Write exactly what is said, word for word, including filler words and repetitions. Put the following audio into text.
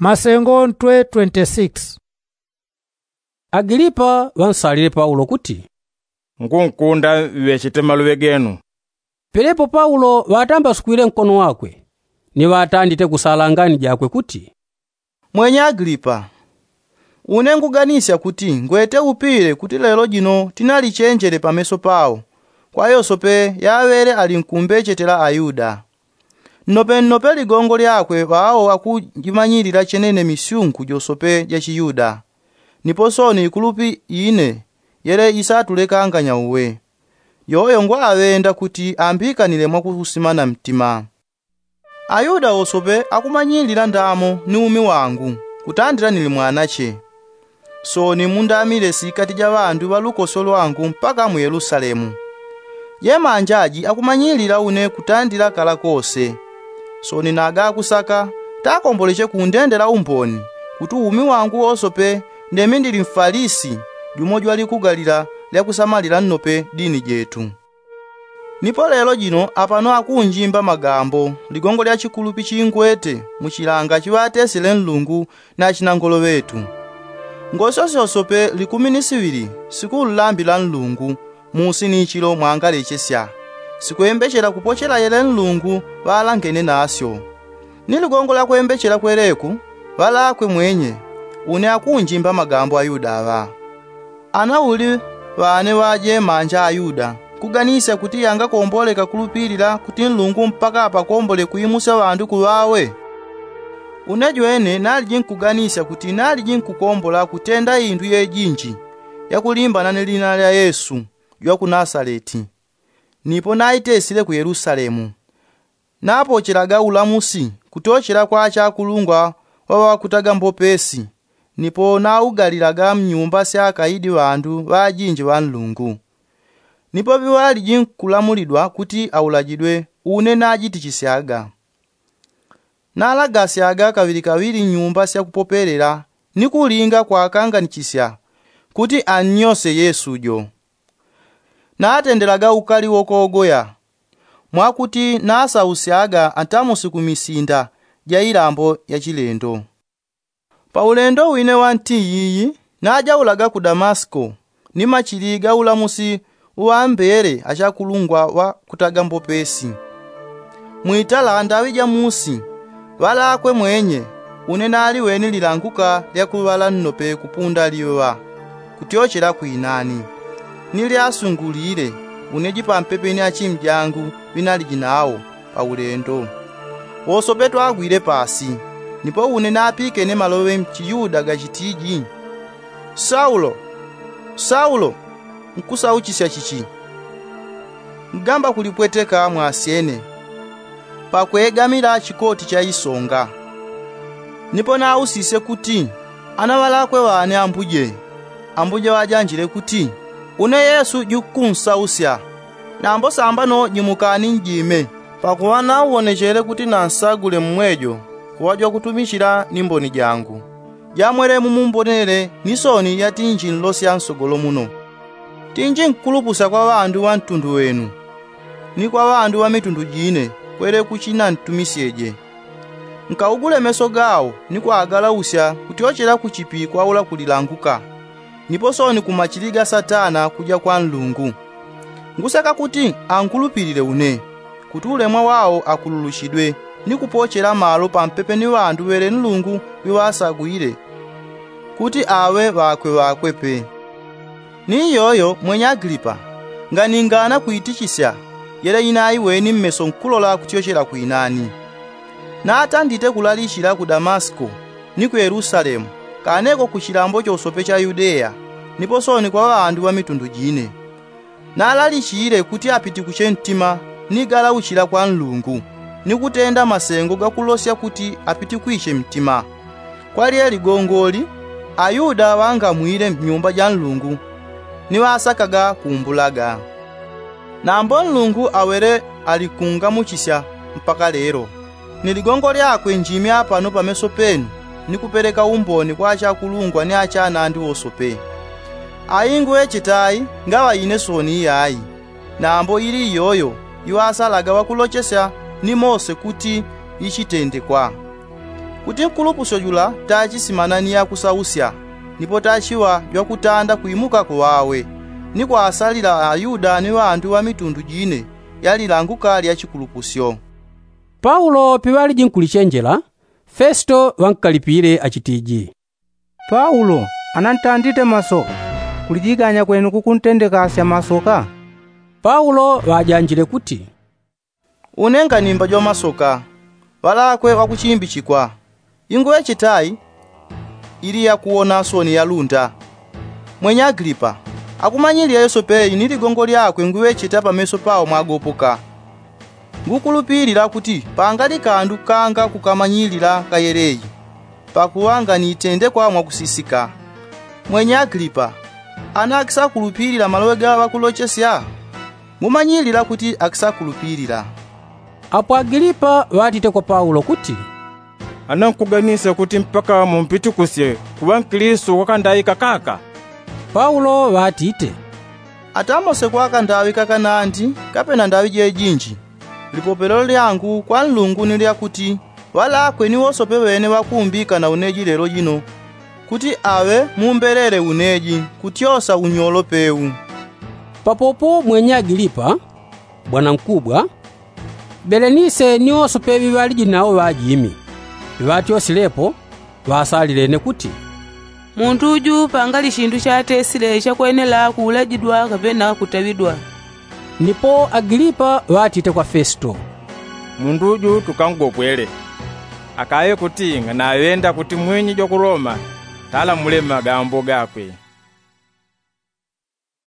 Masengo ntwe twenty-six. Agilipa ŵansalile paulo kuti, nkunkunda ŵechete maluŵe genu. Pelepo paulo ŵatambasukwile nkono wakwe, ni ŵatandite kusala ngani jakwe kuti, mwenye agilipa, une nguganisya kuti ngwete upile kuti lelo jino tinalichenjele pameso pao, kwa yosope yaŵele ali nkumbechetela ayuda. Nnope nnope ligongo lyakwe ŵao akujimanyilila chenene misyungu josope ja chiyuda. Nipo sooni ikulupi ine yele isatulekanganya uwe. Yoyo ngwaŵenda kuti ambikanile mwakusimana mtima. Ayuda wosope akumanyilila ndamo ni umi wangu, kutandila nili mwanache. Sooni mundamile sikati ja ŵandu ŵa lukoso lwangu mpaka mu yelusalemu. Jemanja aji akumanyilila une kutandila kala kose. Sooni naga akusaka takomboleche kundendela umboni, kuti umi wangu wosope ndemi ndili mfalisi, jumo jwalikugalila lyakusamalila nnope dini jetu. Nipo lelo jino apano akunjimba magambo ligongo lya chikulupi chingwete mu chilanga chiŵatesile nlungu na chinangolo ŵetu. Ngosyo syosope likumi ni siŵili sikunlambila nlungu, musi ni chilo mwangalechesya, sikwembechela kupochela yele nlungu ŵalangene nasyo. Ni ligongo lya kwembechela kweleku ŵalakwe mwenye, une akunjimba magambo ayuda aŵa. Ana uli ŵane ŵajemanja ayuda kuganisya kuti yangakomboleka kulupilila kuti nlungu mpaka apakombole kuimusya ŵandu kuŵawe? Une jwene naliji nkuganisya kuti naliji nkukombola kutenda indu yejinji yakulimbana ni lina lya yesu jwa ku nasaleti. Nipo naitesile ku yelusalemu, napochelaga ulamusi kutyochela kwa achakulungwa ŵaŵakutaga mbopesi. Nipo naugalilaga mnyumba sya akaidi ŵandu ŵajinji ŵa nlungu. Nipo ŵiŵaliji nkulamulidwa kuti aulajidwe, une najitichisyaga. Nalagasyaga kaŵilikaŵili nyumba sya kupopelela ni kulinga kwakanganichisya kuti annyose yesu jo. Natendelaga ukali wokogoya, mwakuti nasausyaga atamusi ku misinda ja ilambo ya chilendo. Pa ulendo wine wa nti yiyi najaulaga ku damasiko, ni machili ga ulamusi uŵambele achakulungwa ŵakutaga mbopesi. Mwitala ndaŵi ja musi ŵalakwe mwenye, une naliweni lilanguka lya kuŵala nnope kupunda liŵa kutyochela kwinani. Ni lyasungulile une jipampepe ni achimi jangu ŵinaliji nawo pa ulendo. Wosope twagwile pasi, nipo une napikene maloŵe mchiyuda gachitiji, saulo, saulo, nkusauchisya chichi? Ngamba kulipweteka mwasyene pakwegamila chikoti cha isonga. Nipo nausisye kuti, ana ŵalakwe ŵane ambuje? Ambuje ŵajanjile kuti, une yesu jukunsausya. Nambo sambano jimukani njime, pakuŵa nauwonechele kuti nansagule mmwejo kuŵa jwakutumichila ni mboni jangu, jamwele mumumbonele ni sooni yatinji nlosya nsogolo muno. Tinji nkulupusya kwa ŵandu ŵa ntundu wenu, ni kwa ŵandu ŵa mitundu jine kwele kuchinantumisyeje. Nkaugule meso gawo ni kwagalausya kutyochela kuchipi kwaula kulilanguka, nipo sooni ku machili ga satana kuja kwa nlungu. Ngusaka kuti ankulupilile une, kuti ulemwa wawo akululuchidwe ni kupochela malo pampepe ni ŵandu ŵele nlungu ŵiŵasagwile kuti aŵe ŵakwe ŵakwe pe. Ni iyoyo mwenye agilipa, nganingana kuitichisya yele inaiweni mmeso nkulola kutyochela kwinani. Natandite kulalichila ku damasiko ni ku yelusalemu, kaneko ku chilambo chosope cha yudeya, nipo sooni kwa ŵandu ŵa mitundu jine. Nalalichile kuti apitikuche ntima ni galauchila kwa nlungu, ni kutenda masengo gakulosya kuti apitikwiche mtima. Kwa lye ligongoli ayuda ŵangamwile mnyumba ja nlungu, ni ŵasakaga kumbulaga. Nambo nlungu awele alikungamuchisya mpaka lelo, ni ligongo lyakwe njimya pano pameso penu, ni kupeleka umboni kwa achakulungwa ni achanandi wosope. Ayi ngwechetayi ngaŵa ine sooni iyayi, nambo ili iyoyo iŵasalaga ŵakulochesya ni mose kuti ichitendekwa. Kuti nkulupusyo jula tachisimana ni yakusausya, nipo tachiŵa jwakutanda kwimukako ŵawe, ni kwasalila ayuda ni ŵandu ŵa mitundu jine yalilanguka lya chikulupusyo. Paulo piŵaliji nkulichenjela, festo ŵankalipile achitiji, paulo anantandite masoka. Kulijiganya kwenu kukuntendekasya masoka? Paulo ŵajanjile kuti, une nganimba jwa masoka. Ŵalakwe ŵakuchimbichikwa, inguŵechetayi ili yakuwona soni yalunda. Mwenye agilipa, akumanyilila yosepeyi ni ligongo lyakwe nguŵecheta pameso pawo mwagopoka. Ngukulupilila kuti pangali kandu kanga kukamanyilila kayeleyi, pakuŵa nganitendekwa mwakusisika. Mwenye agilipa, ana akisakulupilila maloŵe gaŵa ŵakulochesya? Mumanyilila kuti akisakulupilila. Apo agilipa ŵatite kwa paulo kuti, ana nkuganisya kuti mpaka mumpitukusye kuŵa nkilistu wakandawika kaka? Paulo ŵatite, ata mose kwakandawika kanandi, kapena ndaŵi jejinji. Lipopelo lyangu kwa nlungu ni lyakuti ŵalakwe ni wosope ŵene ŵakuumbika na uneji lelo jino, kuti aŵe mumbelele uneji kutyosa unyolo pewu. Papopo mwenye agilipa, bwanankubwa, belenise ni wosope ŵiŵaliji nawo ŵajimi, piŵatyosilepo, ŵasalilene kuti, mundu uju pangali chindu chatesile chakwenela kuulajidwa kapena kutaŵidwa. Nipo agilipa ŵatite kwa festo, mundu uju tukangogopwele. Akaŵe kuti nganaŵenda kuti mwinyi jwa ku loma, talamule magambo gakwe.